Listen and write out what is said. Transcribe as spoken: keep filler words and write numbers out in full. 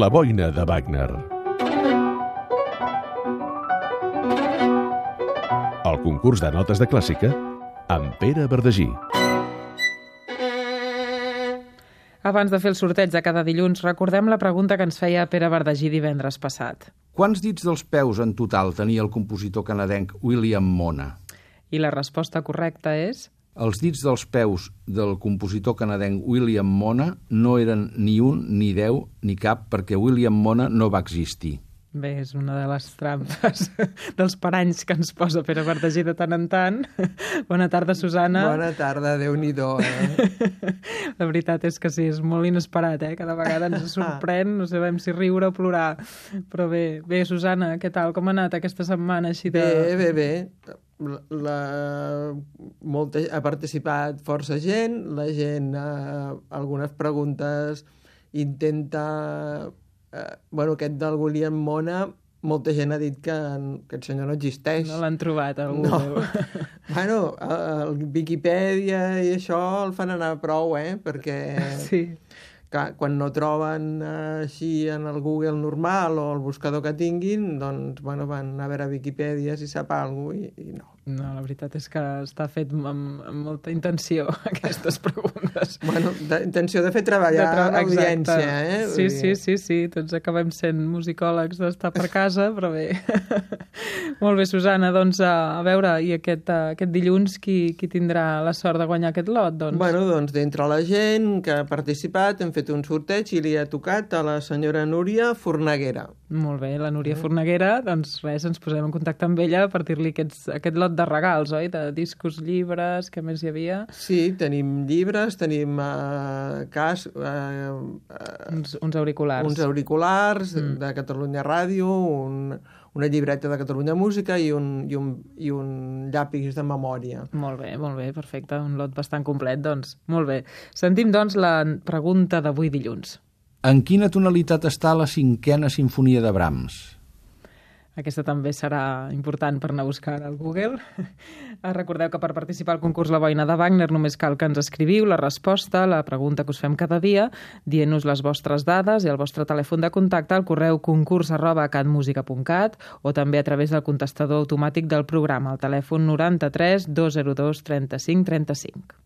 La boina de Wagner. El concurs de notes de clàssica amb Pere Verdagí. Abans de fer el sorteig de cada dilluns, recordem la pregunta que ens feia Pere Verdagí divendres passat. Quants dits dels peus en total tenia el compositor canadenc William Mona? I la resposta correcta és... Els dits dels peus del compositor canadenc William Mona no eren ni un, ni deu, ni cap, perquè William Mona no va existir. Bé, és una de les trampes dels paranys que ens posa Pere Verdagí de tant en tant. Bona tarda, Susana. Bona tarda, Déu-n'hi-do, eh? La veritat és que sí, és molt inesperat, eh? Cada vegada ens sorprèn, no sabem si riure o plorar. Però bé, bé, Susana, què tal? Com ha anat aquesta setmana així de... Bé, bé, bé. La, la, molta, ha participat força gent, la gent, eh, algunes preguntes intenta... Eh, bueno, aquest del William Mona, molta gent ha dit que, que el senyor no existeix. No l'han trobat, algú. No. Bueno, el Viquipèdia i això el fan anar prou, eh? Perquè sí. que, quan no troben eh, així en el Google normal o el buscador que tinguin, doncs bueno, van a veure Viquipèdia si sap alguna cosa i, i no. No, la veritat és que està fet amb, amb molta intenció, aquestes preguntes. Bueno, de, intenció de fer treballar de tra l'audiència, eh? Sí, sí, sí, sí, tots acabem sent musicòlegs d'estar per casa, però bé. Molt bé, Susana, doncs a veure, i aquest, aquest dilluns qui, qui tindrà la sort de guanyar aquest lot, doncs? Bueno, doncs d'entre la gent que ha participat hem fet un sorteig i li ha tocat a la senyora Núria Fornaguera. Molt bé, la Núria Fornaguera, doncs res, ens posem en contacte amb ella per dir-li aquest, aquest lot de regals, oi? De discos, llibres, què més hi havia? Sí, tenim llibres, tenim uh, cas... Uh, uh, uns, uns auriculars. Uns auriculars mm. de Catalunya Ràdio, un, una llibreta de Catalunya Música i un, i, un, i un llapis de memòria. Molt bé, molt bé, perfecte. Un lot bastant complet, doncs. Molt bé. Sentim, doncs, la pregunta d'avui dilluns. En quina tonalitat està la cinquena sinfonia de Brahms? Aquesta també serà important per anar a buscar al Google. Recordeu que per participar al concurs La boina de Wagner només cal que ens escriviu la resposta a la pregunta que us fem cada dia, dient-nos les vostres dades i el vostre telèfon de contacte al correu concurs arroba catmusica punt cat o també a través del contestador automàtic del programa, al telèfon noranta-tres dos zero dos trenta-cinc trenta-cinc.